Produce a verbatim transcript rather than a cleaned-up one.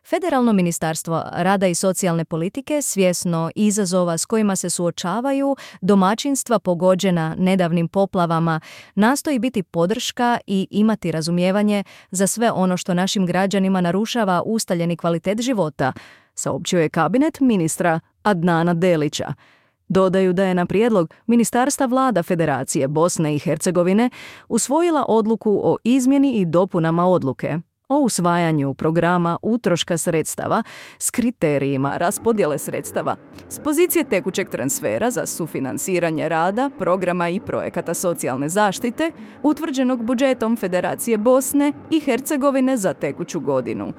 Federalno ministarstvo rada i socijalne politike, svjesno izazova s kojima se suočavaju domaćinstva pogođena nedavnim poplavama, nastoji biti podrška i imati razumijevanje za sve ono što našim građanima narušava ustaljeni kvalitet života, saopćio je kabinet ministra Adnana Delića. Dodaju da je na prijedlog Ministarstva vlada Federacije Bosne i Hercegovine usvojila odluku o izmjeni i dopunama odluke o usvajanju programa utroška sredstava s kriterijima raspodjele sredstava s pozicije tekućeg transfera za sufinansiranje rada, programa i projekata socijalne zaštite utvrđenog budžetom Federacije Bosne i Hercegovine za tekuću godinu.